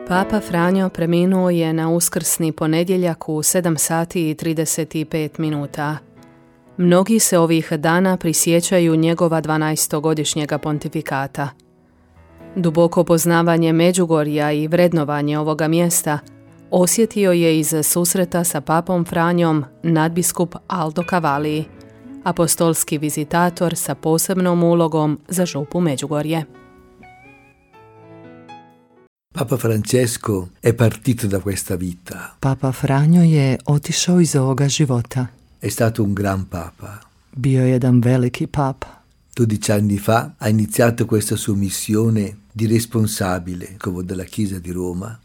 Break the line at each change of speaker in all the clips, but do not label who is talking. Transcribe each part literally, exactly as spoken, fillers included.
Papa Franjo preminuo je na uskrsni ponedjeljak u sedam sati i trideset pet minuta. Mnogi se ovih dana prisjećaju njegova dvanaestogodišnjega pontifikata. Duboko poznavanje Međugorja i vrednovanje ovoga mjesta osjetio je iz susreta sa papom Franjom nadbiskup Aldo Cavalli, apostolski vizitator sa posebnom ulogom za župu Međugorje.
Papa Francesco è partito da questa vita.
Papa Franjo je otišao iz ovoga života.
È stato un gran papa.
Bio je jedan veliki papa.
dodici anni fa ha iniziato questa sua missione di responsabile della Chiesa di Roma.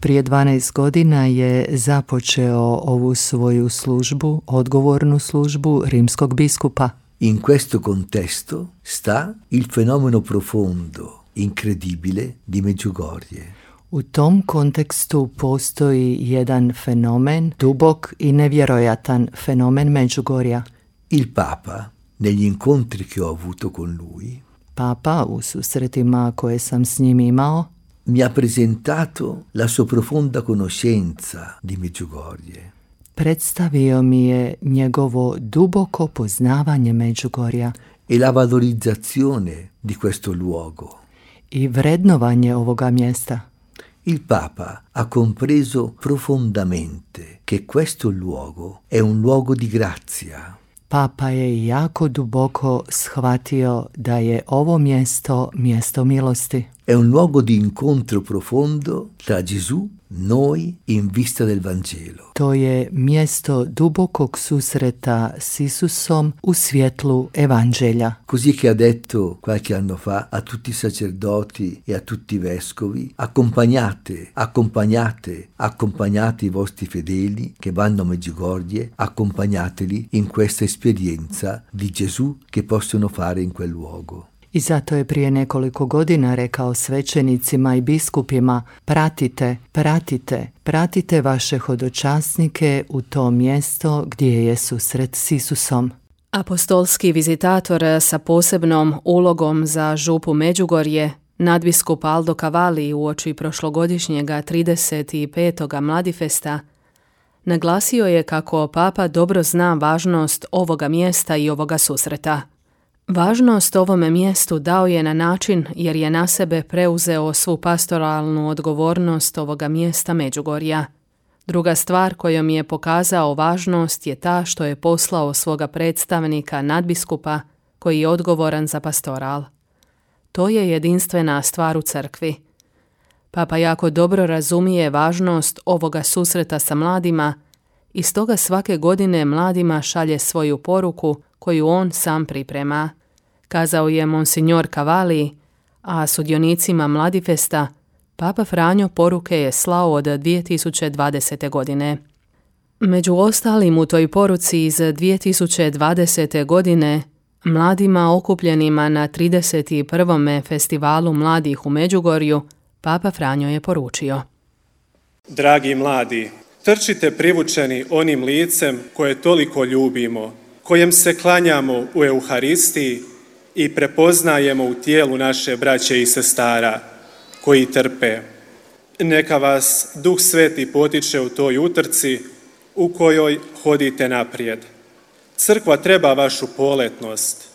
Prije dvanaest godina je započeo ovu svoju službu, odgovornu službu rimskog biskupa.
In questo contesto sta il fenomeno profondo, incredibile di Medjugorje.
U tom kontekstu postoji jedan fenomen, dubok i nevjerojatan fenomen Međugorja.
Il Papa, negli incontri che ho avuto con lui,
Papa, u susretima koje sam s njim imao,
mi ha presentato la sua profonda conoscenza di Medjugorje.
Predstavio mi je njegovo duboko poznavanje Međugorja
e la valorizzazione di questo luogo.
I vrednovanje ovoga mjesta.
Il Papa ha compreso profondamente che questo luogo è un luogo di grazia.
Papa je jako duboko shvatio da je ovo mjesto mjesto milosti.
È un luogo di incontro profondo tra Gesù, noi in vista del Vangelo.
To je mjesto dubokog susreta s Isusom u svjetlu Evanđelja.
Così che ha detto qualche anno fa a tutti i sacerdoti e a tutti i vescovi: accompagnate, accompagnate, accompagnate i vostri fedeli che vanno a Medjugorje, accompagnateli in questa esperienza di Gesù che possono fare in quel luogo.
I zato je prije nekoliko godina rekao svećenicima i biskupima: pratite, pratite, pratite vaše hodočasnike u to mjesto gdje je susret s Isusom.
Apostolski vizitator sa posebnom ulogom za župu Međugorje, nadbiskup Aldo Cavalli, uoči prošlogodišnjega trideset petog Mladifesta, naglasio je kako Papa dobro zna važnost ovoga mjesta i ovoga susreta. Važnost ovome mjestu dao je na način jer je na sebe preuzeo svu pastoralnu odgovornost ovoga mjesta Međugorja. Druga stvar kojom je pokazao važnost je ta što je poslao svoga predstavnika nadbiskupa koji je odgovoran za pastoral. To je jedinstvena stvar u crkvi. Papa jako dobro razumije važnost ovoga susreta sa mladima i stoga svake godine mladima šalje svoju poruku koju on sam priprema, kazao je Monsignor Cavalli, a sudionicima Mladifesta Papa Franjo poruke je slao od dvije tisuće dvadesete. godine. Među ostalim u toj poruci iz dvije tisuće dvadesete. godine mladima okupljenima na trideset prvom festivalu mladih u Međugorju Papa Franjo je poručio:
Dragi mladi, trčite privučeni onim licem koje toliko ljubimo, kojem se klanjamo u Euharistiji i prepoznajemo u tijelu naše braće i sestara koji trpe. Neka vas Duh Sveti potiče u toj utrci u kojoj hodite naprijed. Crkva treba vašu poletnost,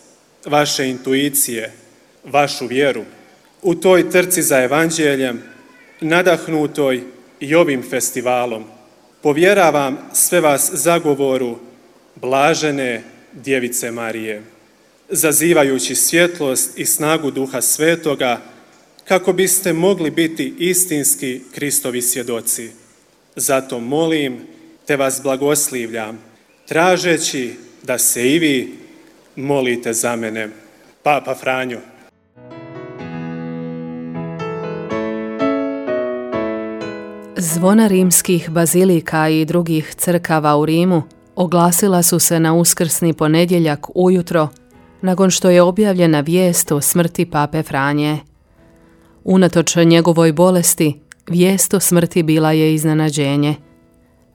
vaše intuicije, vašu vjeru. U toj trci za evanđeljem, nadahnutoj i ovim festivalom, povjeravam sve vas zagovoru blažene Djevice Marije, zazivajući svjetlost i snagu Duha Svetoga, kako biste mogli biti istinski Kristovi svjedoci. Zato molim te vas blagoslivljam, tražeći da se i vi molite za mene. Papa Franjo.
Zvona rimskih bazilika i drugih crkava u Rimu oglasila su se na uskrsni ponedjeljak ujutro, nakon što je objavljena vijest o smrti Pape Franje. Unatoč njegovoj bolesti, vijest o smrti bila je iznenađenje.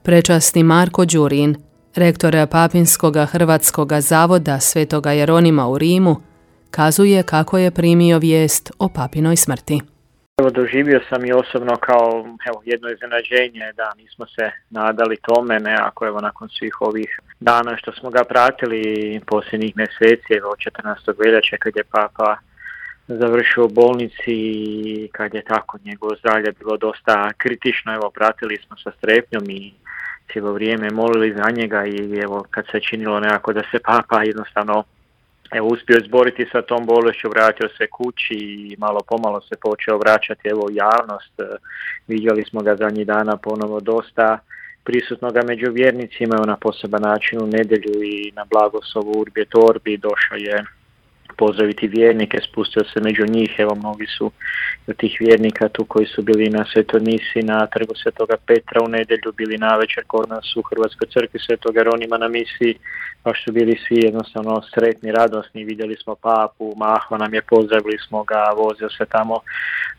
Prečasni Marko Đurin, rektor Papinskog Hrvatskog zavoda Svetoga Jeronima u Rimu, kazuje kako je primio vijest o papinoj smrti.
Evo, doživio sam i osobno kao evo, jedno iznenađenje, da nismo se nadali tome, nekako evo nakon svih ovih dana što smo ga pratili posljednjih mjeseci, evo četrnaestog veljače kad je Papa završio u bolnici i kad je tako njegovo zdravlje bilo dosta kritično, evo pratili smo sa strepnjom i cijelo vrijeme molili za njega i evo kad se činilo nekako da se Papa jednostavno evo uspio izboriti sa tom bolešću, vratio se kući i malo pomalo se počeo vraćati evo u javnost. Vidjeli smo ga zadnjih dana ponovo dosta prisutnoga među vjernicima, evo na poseban način u nedjelju i na blagoslovu Urbi et Orbi došao je pozdraviti vjernike, spustio se među njih, evo mnogi su od tih vjernika tu koji su bili na Svetoj misi na Trgu Svetoga Petra u nedjelju, bili navečer kod nas u Hrvatskoj crkvi Svetog Jeronima na misiji, baš su bili svi jednostavno sretni, radosni, vidjeli smo Papu, mahao nam je, pozdravili smo ga, vozio se tamo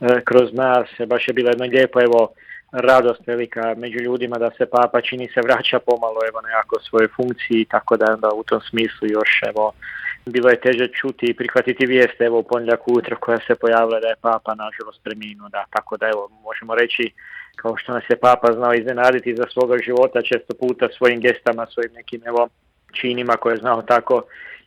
e, kroz nas, baš je bilo jedno lijepo, evo, radost velika među ljudima da se Papa čini se vraća pomalo evo nekako svojoj funkciji, tako da onda u tom smislu još evo bilo je teže čuti i prihvatiti vijest evo u ponedjeljak ujutro koja se pojavila da je Papa nažalost preminuo, da, tako da evo možemo reći kao što nas je Papa znao iznenaditi za svoga života često puta svojim gestama, svojim nekim evo činima koje je znao tako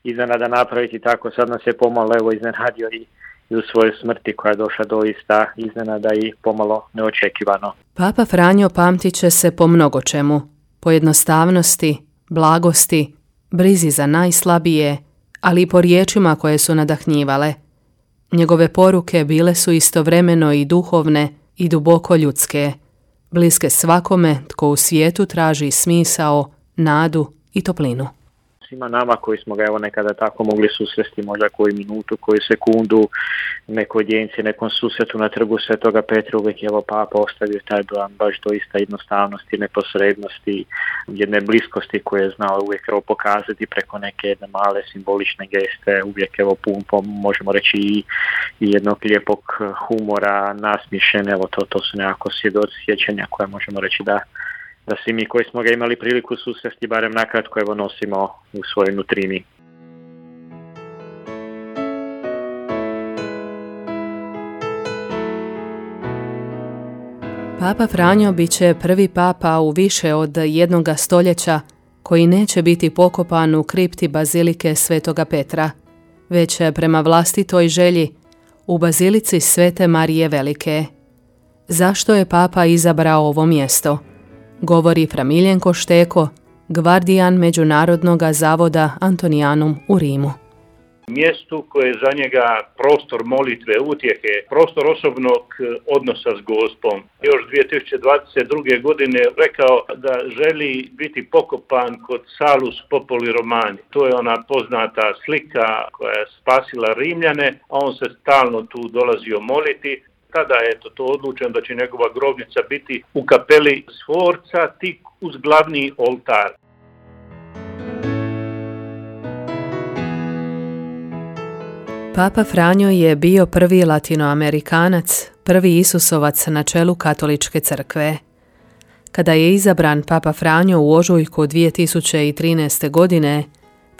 iznenada napraviti, tako sad nas je pomalo evo iznenadio i i u svojoj smrti koja je došla doista iznenada i pomalo neočekivano.
Papa Franjo pamtit će se po mnogo čemu, po jednostavnosti, blagosti, brizi za najslabije, ali i po riječima koje su nadahnjivale. Njegove poruke bile su istovremeno i duhovne i duboko ljudske, bliske svakome tko u svijetu traži smisao, nadu i toplinu.
Svima nama koji smo ga evo nekada tako mogli susresti, možda koju minutu, koju sekundu, nekoj djenci, nekom susretu na Trgu Svetoga Petra, uvijek je evo Papa ostavio taj dojam baš doista jednostavnosti, neposrednosti, jedne bliskosti koje je znao uvijek evo pokazati preko neke jedne male simbolične geste, uvijek evo pun, možemo reći i, i jednog lijepog humora, nasmišen, evo to, to su nekako svjedoci sjećanja koje možemo reći da da svi mi koji smo ga imali priliku susresti, barem nakratko evo nosimo u svojoj nutrini.
Papa Franjo bit će prvi papa u više od jednoga stoljeća koji neće biti pokopan u kripti bazilike Svetoga Petra, već prema vlastitoj želji u bazilici Svete Marije Velike. Zašto je Papa izabrao ovo mjesto? Govori Fra Miljenko Šteko, gvardijan Međunarodnog zavoda Antonianum u Rimu.
Mjestu koje je za njega prostor molitve, utjehe, prostor osobnog odnosa s Gospom. Još dvije tisuće dvadeset druge. godine rekao da želi biti pokopan kod Salus Populi Romani. To je ona poznata slika koja je spasila Rimljane, a on se stalno tu dolazio moliti. Tada je to, to odlučeno da će njegova grobnica biti u kapeli Sforca, tik uz glavni oltar.
Papa Franjo je bio prvi latinoamerikanac, prvi Isusovac na čelu katoličke crkve. Kada je izabran Papa Franjo u ožujku dvije tisuće trinaeste. godine,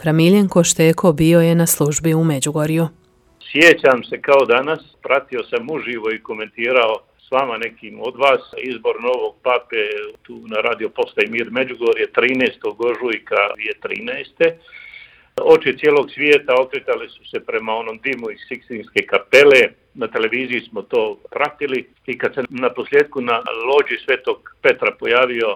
Fra Miljenko Šteko bio je na službi u Međugorju.
Sjećam se kao danas, pratio sam uživo i komentirao s vama nekim od vas izbor novog pape tu na radio postaji Mir Međugorje trinaestog ožujka dvije tisuće trinaeste. Oči cijelog svijeta okretali su se prema onom dimu iz Sikstinske kapele, na televiziji smo to pratili i kad se na posljedku na lođi Svetog Petra pojavio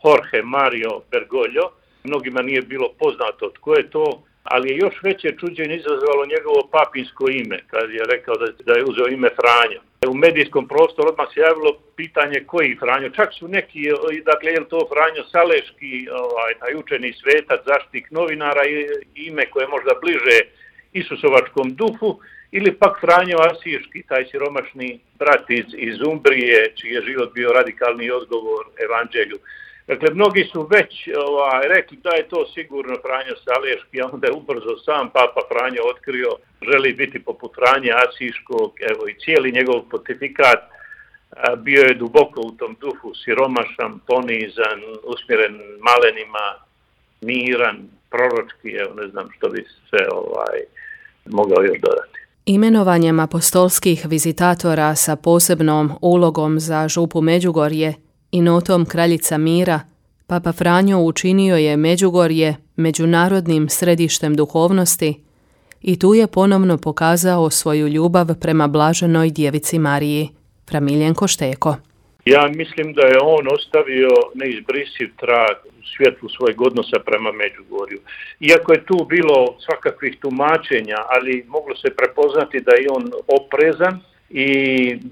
Jorge Mario Bergoglio, mnogima nije bilo poznato tko je to, ali je još veće čuđenje izazvalo njegovo papinsko ime, kad je rekao da, da je uzeo ime Franjo. U medijskom prostoru odmah se javilo pitanje koji Franjo, čak su neki, dakle je li to Franjo Saleški, ovaj, taj učeni svetac, zaštitnik novinara, ime koje je možda bliže Isusovačkom duhu, ili pak Franjo Asiški, taj siromašni brat iz, iz Umbrije, čiji je život bio radikalni odgovor evanđelju. Dakle, mnogi su već ovaj, rekli da je to sigurno Franjo Saleški, a onda je ubrzo sam Papa Franjo otkrio, želi biti poput Franje Asiškog, evo i cijeli njegov pontifikat a, bio je duboko u tom duhu, siromašan, ponizan, usmjeren malenima, miran, proročki, evo ne znam što bi se ovaj, mogao još dodati.
Imenovanjem apostolskih vizitatora sa posebnom ulogom za župu Međugorje i notom Kraljica mira, Papa Franjo učinio je Međugorje međunarodnim središtem duhovnosti i tu je ponovno pokazao svoju ljubav prema blaženoj djevici Mariji. Fra Miljenko Šteko.
Ja mislim da je on ostavio neizbrisiv trag u svjetlu svojeg odnosa prema Međugorju. Iako je tu bilo svakakvih tumačenja, ali moglo se prepoznati da je on oprezan i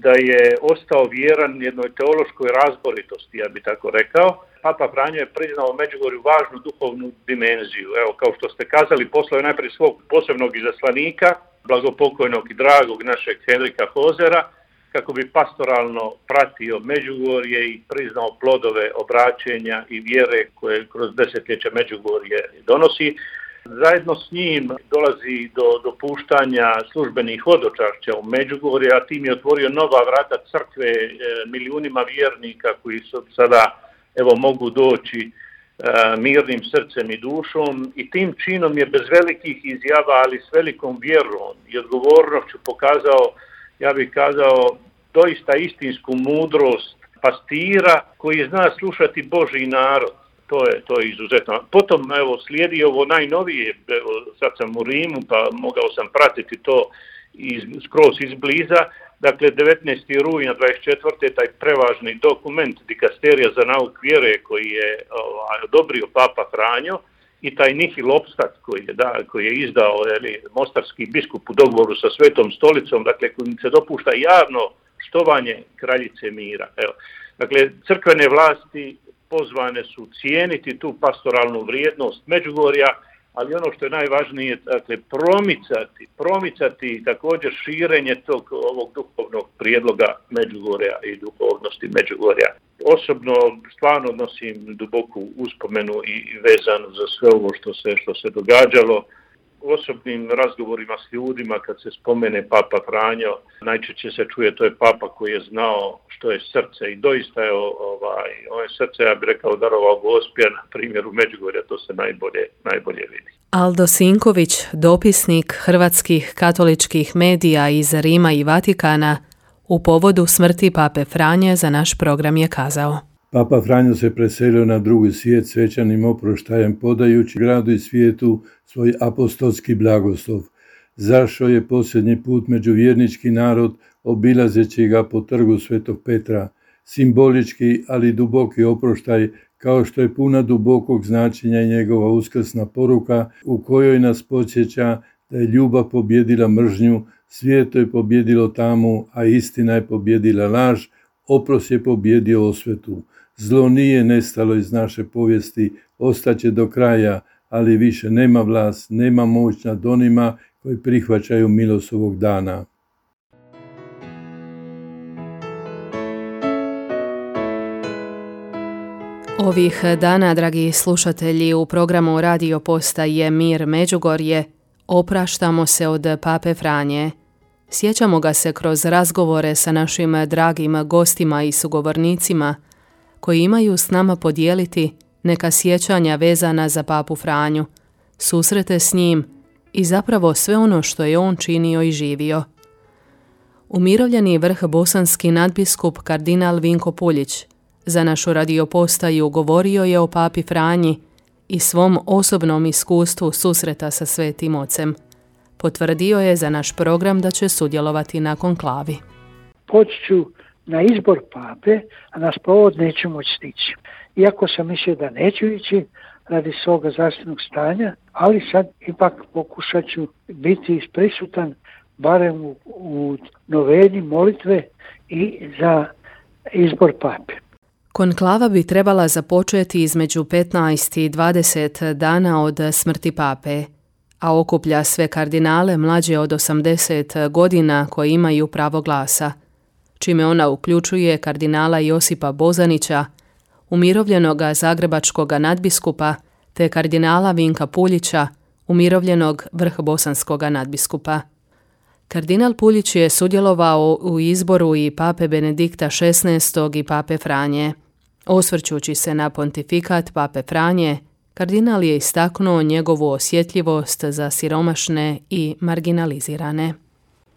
da je ostao vjeran jednoj teološkoj razboritosti, ja bi tako rekao. Papa Franjo je priznao Međugorju važnu duhovnu dimenziju. Evo, kao što ste kazali, poslao je najprije svog posebnog izaslanika, blagopokojnog i dragog našeg Henrika Hozera, kako bi pastoralno pratio Međugorje i priznao plodove obraćenja i vjere koje kroz desetljeća Međugorje donosi. Zajedno s njim dolazi do dopuštanja službenih hodočašća u Međugorje, a tim je otvorio nova vrata crkve milijunima vjernika koji su sada evo mogu doći mirnim srcem i dušom, i tim činom je bez velikih izjava, ali s velikom vjerom i odgovornošću pokazao, ja bih kazao, doista istinsku mudrost pastira koji zna slušati Božji narod. To je, to je izuzetno. Potom evo slijedi ovo najnovije, evo, sad sam u Rimu pa mogao sam pratiti to iz, skroz izbliza. Dakle, devetnaestog rujna dvadeset četvrte taj prevažni dokument Dikasterija za nauk vjere koji je ovaj, odobrio Papa Franjo i taj nihil obstat koji je, da, koji je izdao jeli, mostarski biskup u dogovoru sa Svetom stolicom, dakle kojim se dopušta javno štovanje Kraljice mira. Evo. Dakle, crkvene vlasti pozvane su cijeniti tu pastoralnu vrijednost Međugorja, ali ono što je najvažnije, dakle, promicati, promicati također širenje tog ovog duhovnog prijedloga Međugorja i duhovnosti Međugorja. Osobno stvarno nosim duboku uspomenu i vezan za sve ovo što se, što se događalo. U osobnim razgovorima s ljudima kad se spomene Papa Franjo, najčešće se čuje to je Papa koji je znao što je srce i doista je ovaj, ovo je srce, ja bih rekao, darovao Gospija, na primjeru Međugorja, to se najbolje, najbolje vidi.
Aldo Sinković, dopisnik hrvatskih katoličkih medija iz Rima i Vatikana, u povodu smrti Pape Franje za naš program je kazao:
Papa Franjo se preselio na drugi svijet svečanim oproštajem, podajući gradu i svijetu svoj apostolski blagoslov. Zašao je posljednji put među vjernički narod, obilazeći ga po trgu Svetog Petra. Simbolički, ali duboki oproštaj, kao što je puna dubokog značenja i njegova uskrsna poruka, u kojoj nas podsjeća da je ljubav pobjedila mržnju, svijeto je pobjedilo tamu, a istina je pobjedila laž, oprost je pobjedio osvetu. Zlo nije nestalo iz naše povijesti, ostaće do kraja, ali više nema vlast, nema moć nad onima koji prihvaćaju milost ovog dana.
Ovih dana, dragi slušatelji, u programu Radio Postaje Mir Međugorje opraštamo se od Pape Franje. Sjećamo ga se kroz razgovore sa našim dragim gostima i sugovornicima koji imaju s nama podijeliti neka sjećanja vezana za Papu Franju, susrete s njim i zapravo sve ono što je on činio i živio. Umirovljeni vrh bosanski nadbiskup kardinal Vinko Puljić za našu radiopostaju govorio je o Papi Franji i svom osobnom iskustvu susreta sa Svetim Ocem. Potvrdio je za naš program da će sudjelovati na konklavi.
Poći ću na izbor pape, a na sprovod neću moći stići. Iako sam mislio da neću ići radi svoga zdravstvenog stanja, ali sad ipak pokušat ću biti prisutan barem u, u noveni molitve i za izbor pape.
Konklava bi trebala započeti između petnaest i dvadeset dana od smrti pape, a okuplja sve kardinale mlađe od osamdeset godina koji imaju pravo glasa, čime ona uključuje kardinala Josipa Bozanića, umirovljenoga zagrebačkog nadbiskupa, te kardinala Vinka Puljića, umirovljenog vrhbosanskog nadbiskupa. Kardinal Puljić je sudjelovao u izboru i pape Benedikta šesnaestog i pape Franje. Osvrćući se na pontifikat pape Franje, kardinal je istaknuo njegovu osjetljivost za siromašne i marginalizirane.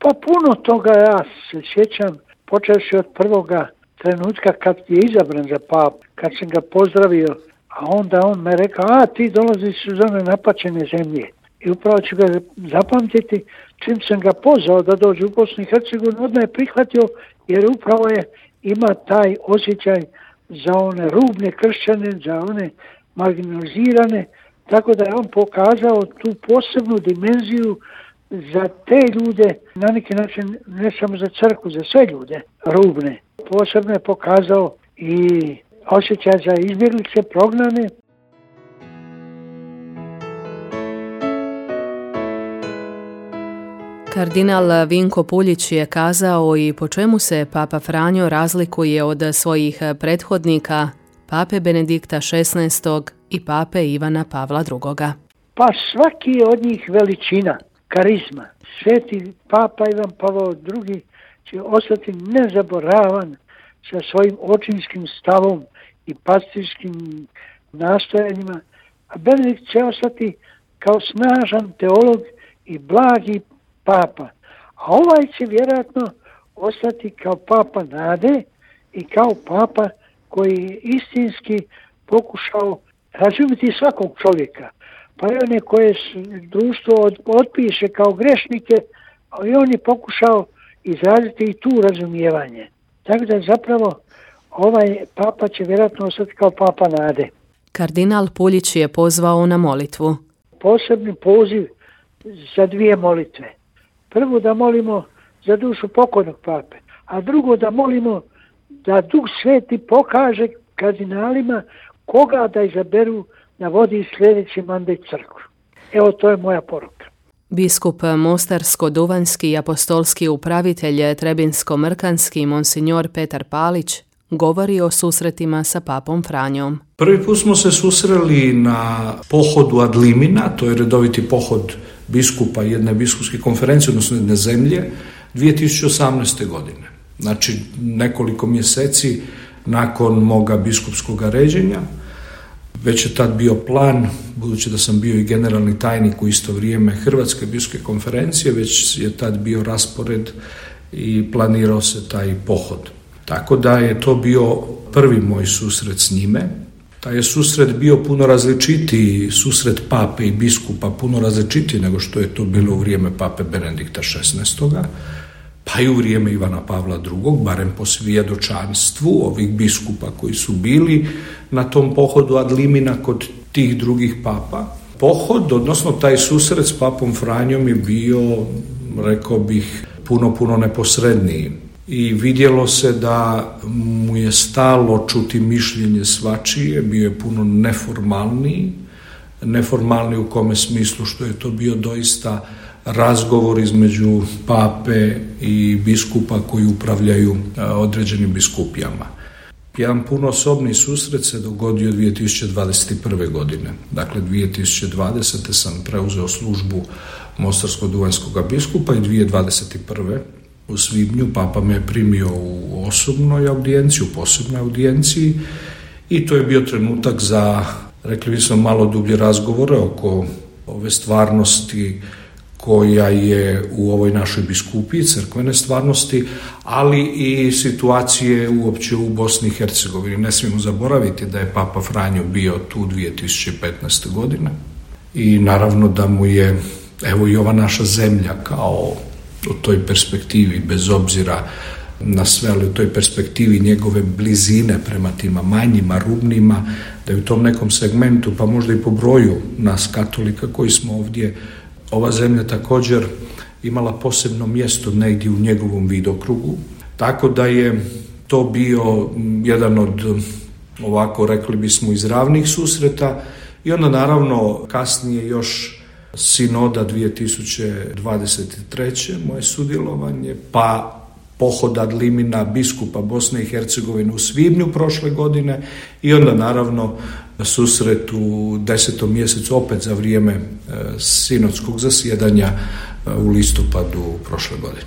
Pa puno toga ja se sjećam, počevši od prvoga trenutka kad je izabran za papu, kad sam ga pozdravio, a onda on me rekao, a ti dolaziš iz one napačene zemlje. I upravo ću ga zapamtiti, čim sam ga pozvao da dođe u Bosnu i Hercegovinu, odmah je prihvatio, jer upravo je ima taj osjećaj za one rubne kršćane, za one marginalizirane, tako da je on pokazao tu posebnu dimenziju za te ljude, na neki način ne samo za crkvu, za sve ljude rubne. Posebno je pokazao i osjećaj za izbjeglice, prognane.
Kardinal Vinko Puljić je kazao i po čemu se Papa Franjo razlikuje od svojih prethodnika, Pape Benedikta šesnaestog i Pape Ivana Pavla drugoga.
Pa svaki je od njih veličina, karizma. Sveti Papa Ivan Pavao drugi će ostati nezaboravan sa svojim očinskim stavom i pastirskim nastojanjima, a Benedikt će ostati kao snažan teolog i blagi papa. A ovaj će vjerojatno ostati kao papa nade i kao papa koji je istinski pokušao razumjeti svakog čovjeka. Pa i one koje društvo otpiše kao grešnike, a i on je pokušao izraziti i tu razumijevanje. Tako da zapravo ovaj papa će vjerojatno ostati kao papa nade.
Kardinal Puljić je pozvao na molitvu.
Posebni poziv za dvije molitve. Prvo da molimo za dušu pokojnog pape, a drugo da molimo da Duh Sveti pokaže kardinalima koga da izaberu da vodi sljedeći mandat crkvu. Evo, to je moja poruka.
Biskup Mostarsko-Duvanjski i apostolski upravitelj Trebinsko-Mrkanski monsignor Petar Palić govori o susretima sa papom Franjom.
Prvi put smo se susreli na pohodu ad limina, to je redoviti pohod biskupa jedne biskupske konferencije, odnosno jedne zemlje, dvije tisuće osamnaeste. godine. Znači nekoliko mjeseci nakon moga biskupskog ređenja. Već je tad bio plan, budući da sam bio i generalni tajnik u isto vrijeme Hrvatske biskupske konferencije, već je tad bio raspored i planirao se taj pohod. Tako da je to bio prvi moj susret s njime. Taj je susret bio puno različitiji, susret pape i biskupa puno različitiji nego što je to bilo u vrijeme pape Benedikta šesnaestog. Pa i u vrijeme Ivana Pavla drugog, barem po svjedočanstvu ovih biskupa koji su bili na tom pohodu ad limina kod tih drugih papa. Pohod, odnosno taj susret s papom Franjom je bio, rekao bih, puno, puno neposredniji. I vidjelo se da mu je stalo čuti mišljenje svačije, bio je puno neformalniji, neformalniji u kome smislu što je to bio doista razgovor između pape i biskupa koji upravljaju određenim biskupijama. Jedan puno osobni susret se dogodio dvije tisuće dvadeset prve. godine. Dakle, dvije tisuće dvadesete. sam preuzeo službu Mostarsko-Duvanjskog biskupa i dvije tisuće dvadeset prve. u svibnju papa me je primio u osobnoj audijenciji, u posebnoj audijenciji i to je bio trenutak za, rekli bismo, malo dublje razgovore oko ove stvarnosti koja je u ovoj našoj biskupiji, crkvene stvarnosti, ali i situacije uopće u Bosni i Hercegovini. Ne smijemo zaboraviti da je Papa Franjo bio tu dvije tisuće petnaeste. godine i naravno da mu je, evo i ova naša zemlja kao u toj perspektivi, bez obzira na sve, ali u toj perspektivi njegove blizine prema tima manjima, rubnima, da je u tom nekom segmentu, pa možda i po broju nas katolika koji smo ovdje, ova zemlja također imala posebno mjesto negdje u njegovom vidokrugu, tako da je to bio jedan od, ovako rekli bismo, izravnih susreta i onda naravno kasnije još sinoda dvije tisuće dvadeset treće. moje sudjelovanje, pa pohod ad limina biskupa Bosne i Hercegovine u svibnju prošle godine i onda naravno susret u desetom mjesecu opet za vrijeme sinodskog zasjedanja u listopadu prošle godine.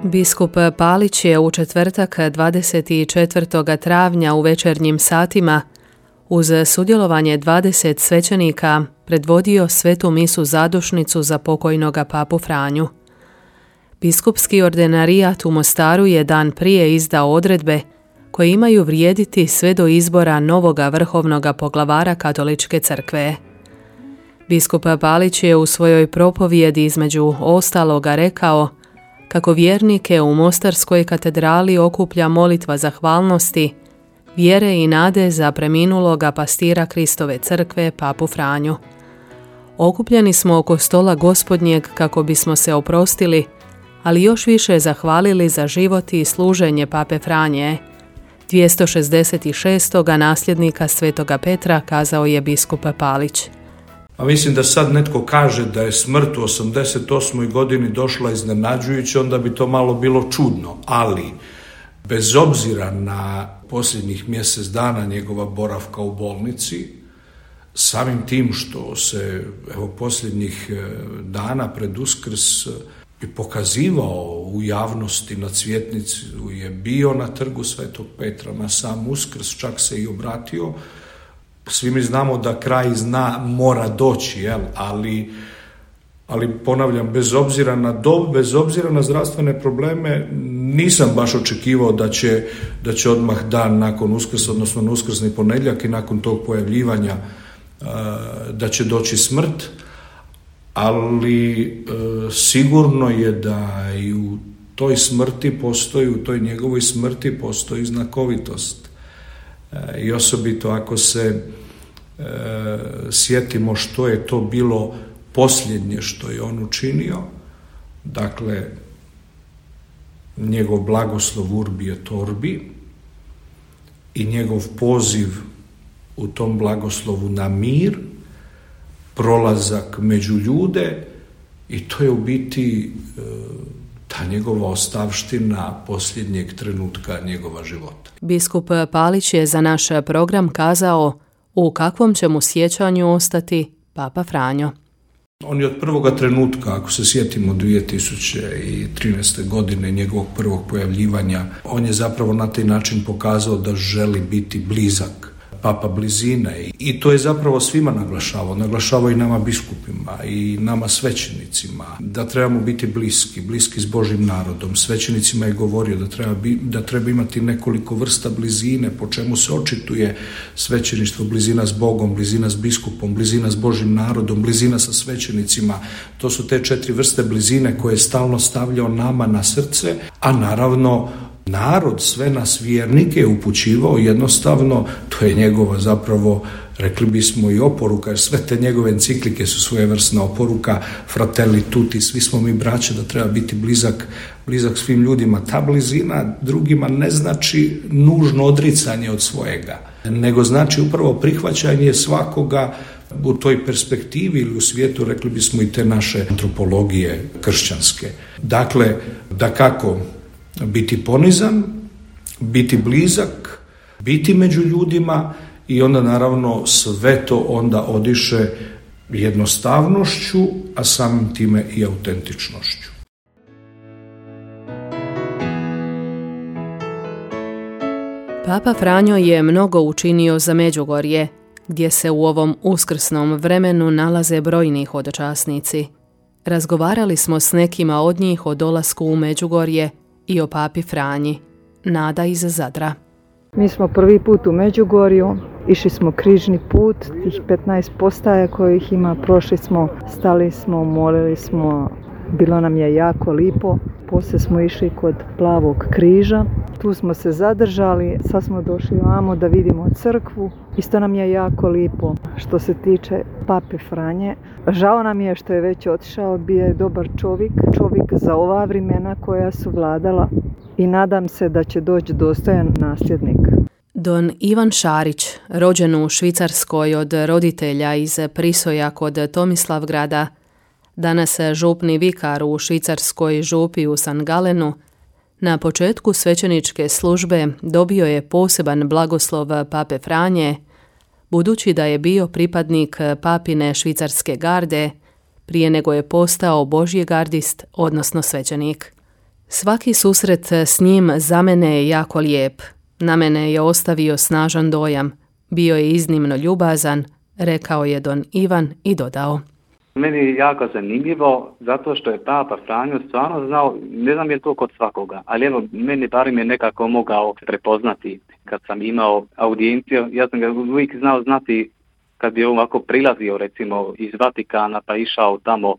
Biskup Palić je u četvrtak dvadeset četvrtog travnja u večernjim satima uz sudjelovanje dvadeset svećenika predvodio svetu misu zadušnicu za pokojnoga papu Franju. Biskupski ordinarijat u Mostaru je dan prije izdao odredbe koje imaju vrijediti sve do izbora novoga vrhovnoga poglavara Katoličke crkve. Biskup Palić je u svojoj propovjedi između ostaloga rekao kako vjernike u Mostarskoj katedrali okuplja molitva zahvalnosti, vjere i nade za preminuloga pastira Kristove crkve, papu Franju. Okupljeni smo oko stola Gospodnjeg kako bismo se oprostili, ali još više zahvalili za život i služenje pape Franje, dvjesto šezdeset šestoga nasljednika svetoga Petra, kazao je biskup Palić.
A mislim da sad netko kaže da je smrt u osamdeset osmoj godini došla iznenađujuće, onda bi to malo bilo čudno, ali bez obzira na posljednjih mjesec dana njegova boravka u bolnici, samim tim što se evo posljednjih dana pred Uskrs i pokazivao u javnosti na Cvjetnici, je bio na trgu Svetog Petra na sam Uskrs, čak se i obratio. Svi mi znamo da kraj zna mora doći, jel? Ali, ali ponavljam, bez obzira na dob, bez obzira na zdravstvene probleme, nisam baš očekivao da će, da će odmah dan nakon Uskrsa, odnosno na uskrsni ponedjeljak i nakon tog pojavljivanja da će doći smrt, ali sigurno je da i u toj smrti postoji, u toj njegovoj smrti postoji znakovitost. I osobito ako se e, sjetimo što je to bilo posljednje što je on učinio, dakle njegov blagoslov Urbi et Orbi i njegov poziv u tom blagoslovu na mir, prolazak među ljude, i to je u biti e, ta njegova ostavština posljednjeg trenutka njegova života.
Biskup Palić je za naš program kazao u kakvom će mu sjećanju ostati papa Franjo.
On je od prvoga trenutka, ako se sjetimo dvije tisuće trinaeste. godine njegovog prvog pojavljivanja, on je zapravo na taj način pokazao da želi biti blizak, papa blizine, i to je zapravo svima naglašavao, naglašavao i nama biskupima i nama svećenicima, da trebamo biti bliski, bliski s Božjim narodom. Svećenicima je govorio da treba, da treba imati nekoliko vrsta blizine, po čemu se očituje svećeništvo: blizina s Bogom, blizina s biskupom, blizina s Božjim narodom, blizina sa svećenicima. To su te četiri vrste blizine koje je stalno stavljao nama na srce, a naravno narod, sve nas vjernike je upućivao jednostavno, to je njegova zapravo, rekli bismo, i oporuka, jer sve te njegove enciklike su svojevrsna oporuka, Fratelli tutti, svi smo mi braća, da treba biti blizak, blizak svim ljudima. Ta blizina drugima ne znači nužno odricanje od svojega, nego znači upravo prihvaćanje svakoga u toj perspektivi ili u svijetu, rekli bismo, i te naše antropologije kršćanske. Dakle, dakako, biti ponizan, biti blizak, biti među ljudima, i onda naravno sve to onda odiše jednostavnošću, a samim time i autentičnošću.
Papa Franjo je mnogo učinio za Međugorje, gdje se u ovom uskrsnom vremenu nalaze brojni hodočasnici. Razgovarali smo s nekima od njih o dolasku u Međugorje i o papi Franji. Nada iz Zadra.
Mi smo prvi put u Međugorju, išli smo križni put, tih petnaest postaja kojih ima, prošli smo, stali smo, molili smo, bilo nam je jako lipo. Poslije smo išli kod Plavog križa, tu smo se zadržali, sad smo došli ovamo da vidimo crkvu, isto nam je jako lipo. Što se tiče pape Franje, žao nam je što je već otišao, bio je dobar čovjek, čovjek za ova vremena koja su vladala, i nadam se da će doći dostojan nasljednik.
Don Ivan Šarić, rođen u Švicarskoj od roditelja iz Prisoja kod Tomislavgrada, danas župni vikar u švicarskoj župi u San Galenu, na početku svećeničke službe dobio je poseban blagoslov pape Franje, budući da je bio pripadnik papine švicarske garde prije nego je postao božji gardist, odnosno svećenik. Svaki susret s njim za mene je jako lijep. Na mene je ostavio snažan dojam. Bio je iznimno ljubazan, rekao je don Ivan i dodao.
Meni je jako zanimljivo zato što je Papa Franjo stvarno znao, ne znam je to kod svakoga, ali evo meni barem je nekako mogao prepoznati kad sam imao audijenciju. Ja sam ga uvijek znao znati kad bi ovako prilazio recimo iz Vatikana pa išao tamo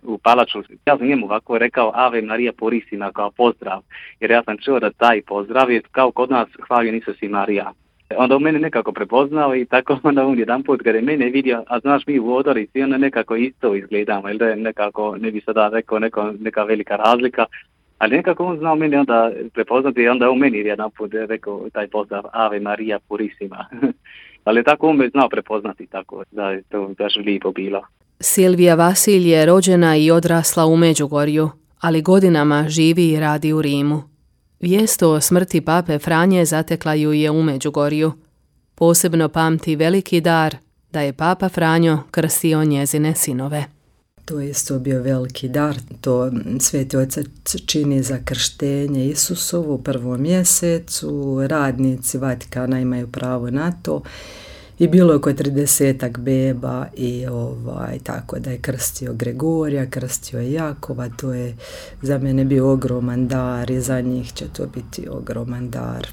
u palaču. Ja sam njemu ovako rekao Ave Maria Purissima kao pozdrav, jer ja sam čuo da taj pozdrav je kao kod nas hvaljen Isus i Marija. Onda on mene nekako prepoznao i tako onda on jedan put kada je mene vidio, a znaš mi u odorici, onda nekako isto izgledamo, ili da je nekako, ne bi sada rekao neko, neka velika razlika, ali nekako on znao mene onda prepoznati i onda on meni jedan put rekao taj pozdrav Ave Maria Purissima. Ali tako on me znao prepoznati, tako da je to baš lijepo bilo.
Silvija Vasilj je rođena i odrasla u Međugorju, ali godinama živi i radi u Rimu. Vijest o smrti pape Franje zatekla ju je u Međugorju. Posebno pamti veliki dar da je papa Franjo krstio njezine sinove.
To je isto bio veliki dar, to Sveti Otac čini za krštenje Isusovu u prvom mjesecu, radnici Vatikana imaju pravo na to i bilo je oko tridesetak beba i ovaj, tako da je krstio Gregorija, krstio je Jakova, to je za mene bio ogroman dar i za njih će to biti ogroman dar.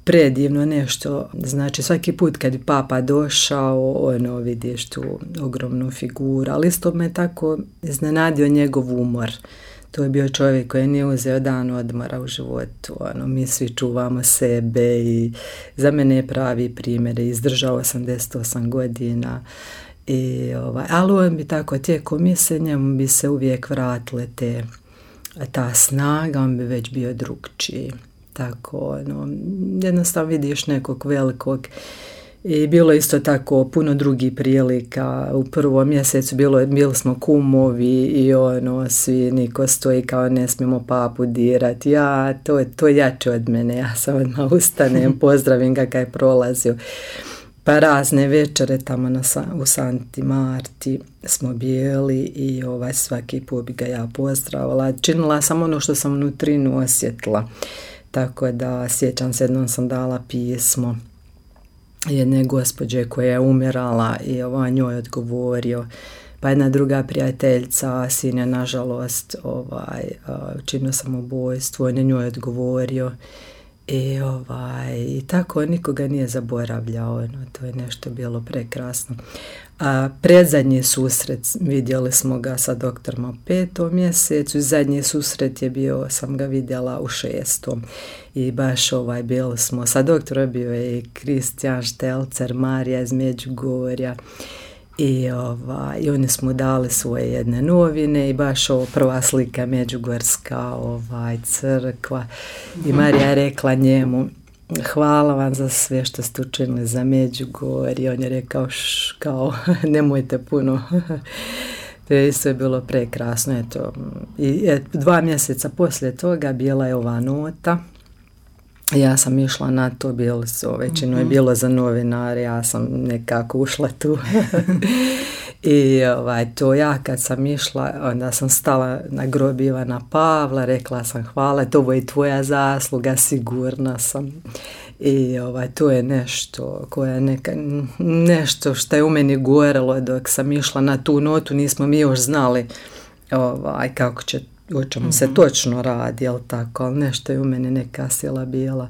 Predivno nešto, znači svaki put kad je papa došao, ono vidiš tu ogromnu figuru, ali isto me tako iznenadio njegov umor. To je bio čovjek koji nije uzeo dan odmora u životu, ono, mi svi čuvamo sebe i za mene je pravi primjer, izdržao osamdeset osam godina. I, ovaj, ali on bi tako tijekom mise njemu bi se uvijek vratile te, ta snaga, on bi već bio drugčiji. Tako, ono, jednostavno vidiš nekog velikog. I bilo isto tako puno drugih prilika. U prvom mjesecu bilo, bili smo kumovi i ono, svi niko stoji kao ne smijemo papu dirati. Ja, to je to jače od mene. Ja sam odmah ustanem, pozdravim ga kad je prolazio. Pa razne večere tamo na, u Santi Marti smo bili i ovaj, svaki put bi ga ja pozdravila. Činila sam ono što sam unutrinu osjetila. Tako da sjećam se, jednom sam dala pismo jedne gospođe koja je umirala i ovaj njoj odgovorio. Pa jedna druga prijateljica, sin je nažalost ovaj, učinio samobojstvo, on je njoj odgovorio. I, ovaj, i tako nikoga nije zaboravljao, no, to je nešto bilo prekrasno. A predzadnji susret vidjeli smo ga sa doktorom u petom mjesecu i zadnji susret je bio, sam ga vidjela u šestom i baš ovaj bili smo, sa doktorom bio je i Kristijan Štelcer, Marija iz Međugorja. I, ovaj, i oni smo dali svoje jedne novine i baš ovo prva slika Međugorska ovaj, crkva i Marija je rekla njemu hvala vam za sve što ste učinili za Međugorje. On je rekao š, kao nemojte puno. To je sve bilo prekrasno. Eto. I et, dva mjeseca poslije toga bila je ova nota. Ja sam išla na to, bilo su, većinu je bilo za novinare, ja sam nekako ušla tu. I ovaj, to ja kad sam išla, onda sam stala na grob Ivana Pavla, rekla sam hvala, to ovo je tvoja zasluga, sigurna sam. I ovaj, to je nešto koja neka, nešto što je u meni gorelo dok sam išla na tu notu, nismo mi još znali ovaj, kako će, o čemu mm-hmm. se točno radi, jel tako, ali nešto je u meni neka sila bila.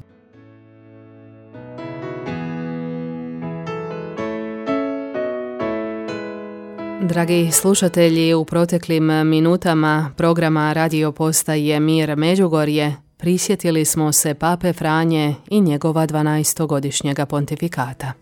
Dragi slušatelji, u proteklim minutama programa radio postaje Mir Međugorje prisjetili smo se pape Franje i njegova dvanaestogodišnjega pontifikata.